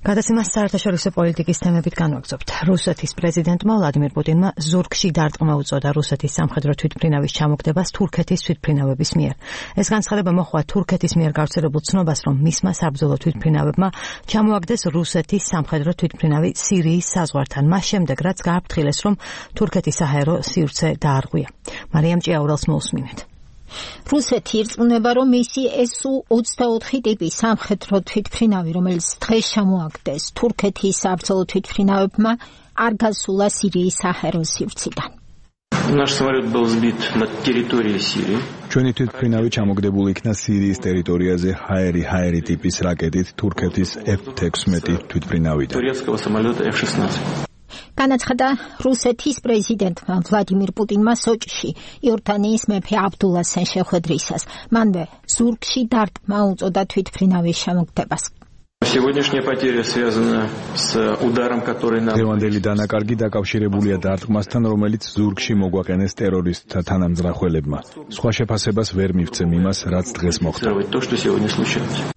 გადაცემას საერთაშორისო პოლიტიკის თემებით განვაგრძობთ. რუსეთის პრეზიდენტმა ვლადიმირ პუტინმა ზურგში დარტყმა უწოდა რუსეთის სამხედრო თვითმფრინავის ჩამოგდებას თურქეთის თვითმფრინავების მიერ. ეს განცხადება მოჰყვა თურქეთის მიერ გავრცელებულ ცნობას, რომ მისმა საბრძოლო თვითმფრინავებმა ჩამოაგდეს რუსეთის სამხედრო თვითმფრინავი სირიის საზღვართან. მას შემდეგ, რაც გააფრთხილეს, რომ თურქეთის საჰაერო სივრცე დაარღვია. მარიამ ჭიაურელს მოусმინეთ. რუსეთი ირწმუნება, რომ მისი SU-24 ტიპის სამხედრო თვითმფრინავი, რომელიც დღეს ჩამოაგდეს თურქეთის საბრძოლო თვითმფრინავებმა, არ გასულა სირიის საჰაერო სივრციდან. ჩვენი თვითმფრინავი ჩამოგდებული იქნა სირიის ტერიტორიაზე ჰაერი ტიპის რაკეტით თურქეთის F-16 თვითმფრინავიდან. განაცხადა რუსეთის პრეზიდენტმა ვლადიმირ პუტინმა სოჭში იორდანიის მეფე აბდულასენ შეხვედრისას. მანვე ზურგში დარტყმა უწოდა თვითმფრინავის ჩამოგდებას. დღევანდელი დანაკარგი დაკავშირებულია დარტყმასთან, რომელიც ზურგში მოგვაყენეს ტერორისტთა თანამძღვრებმა. სხვა შეფასებას ვერ მივცემ იმას, რაც დღეს მოხდა.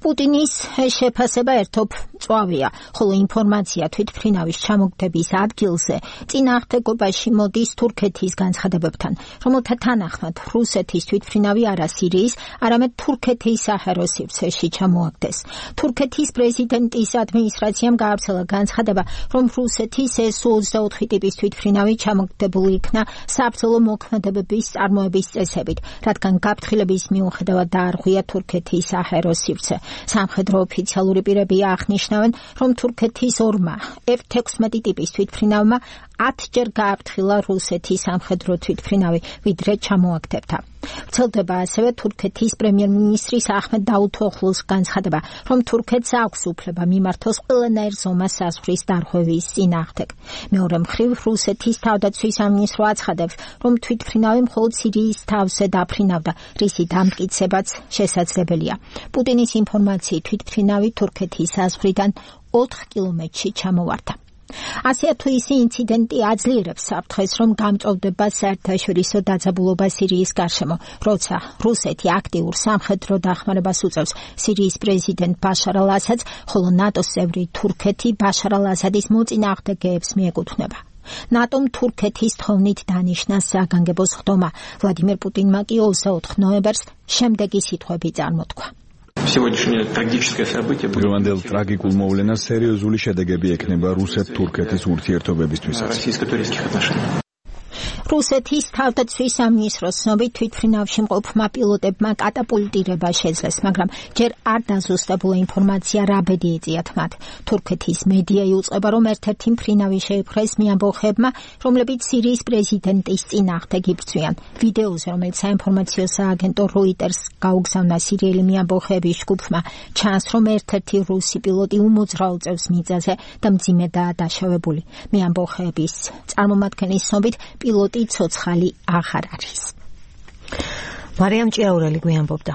პუტინის შეფასება ერთობ მწვავეა, ხოლო ინფორმაცია თვითმფრინავის ჩამოგდების ადგილზე წინააღმდეგობაში მოდის თურქეთის განცხადებებთან, რომელთა თანახმად რუსეთის თვითმფრინავი არა სირიის, არამედ თურქეთის საჰაერო სივრცეში ჩამოაგდეს. თურქეთის პრეზიდენტის ადმინისტრაციამ გაავრცელა განცხადება, რომ რუსეთის SU-24 ტიპის თვითმფრინავი ჩამოგდებული იქნა საბრძოლო მოქმედებების წარმოების წესებით, რადგან გაფრთხილების მიუხედავად დაარღვია თურქეთის საჰაერო სივრცე. სამხედრო ოფიციალური პირები აღნიშნავენ, რომ თურქეთის ორმა F-16 ტიპის თვითმფრინავმა 10-ჯერ გააფრთხილა რუსეთის სამხედრო თვითმფრინავი, ვიდრე ჩამოაგდებდა. ვრცელდება ასევე თურქეთის პრემიერ-მინისტრის ახმედ დაუთოღლუს განცხადება, რომ თურქეთს აქვს უფლება მიმართოს ყველანაირ ზომას საზღვრის დარღვევის წინააღმდეგ. მეორე მხრივ, რუსეთის თავდაცვის სამინისტრო აცხადებს, რომ თვითმფრინავი მხოლოდ სირიის თავზე დაფრინავდა, რისი დამტკიცებაც შესაძლებელია. პუტინის ინფორმაციით თვითმფრინავი თურქეთის საზღვრიდან 4 კილომეტრში ჩამოვარდა. ასეა თუ ის ინციდენტი აძლიერებს საფრთხეს, რომ გამწვავდება საერთაშორისო დაძაბულობა სირიის გარშემო, როცა რუსეთი აქტიურ სამხედრო დახმარებას უწევს სირიის პრეზიდენტ ბაშარ ალ-ასადს, ხოლო ნატოს წევრი თურქეთი ბაშარ ალ-ასადის მოწინააღმდეგეებს მიეკუთვნება. ნატომ თურქეთის თხოვნით დანიშნა საგანგებო სხდომა. ვლადიმირ პუტინმა კი 24 ნოემბერს შემდეგი სიტყვები წარმოთქვა. დღევანდელ ტრაგიკულ მოვლენას სერიოზული შედეგები ექნება რუსეთ-თურქეთის ურთიერთობებისთვისაც. რუსეთის თავდაცვის სამინისტროს ცნობით თვითმფრინავში მყოფმა პილოტებმა კატაპულტირება შეძლეს, მაგრამ ჯერ არ დაზუსტებულა ინფორმაცია რა ბედი ეწიათ მათ. თურქეთის მედია იუწყება, რომ ერთ-ერთი მფრინავი შეიპყრეს მეამბოხეებმა, რომლებიც სირიის პრეზიდენტის წინააღმდეგ იბრძვიან. ვიდეოზე, რომელიც საინფორმაციო სააგენტო Reuters გაუგზავნა სირიელი მეამბოხეების ჯგუფმა, ჩანს, რომ ერთ-ერთი რუსი პილოტი უმოძრაულ წევს მიწაზე და მძიმედაა დაშავებული. მეამბოხეების წარმომადგენლის ცნობით პილოტი ცოცხალი აღარ არის. მარიამ ჭიაურელი გვიანბობდა.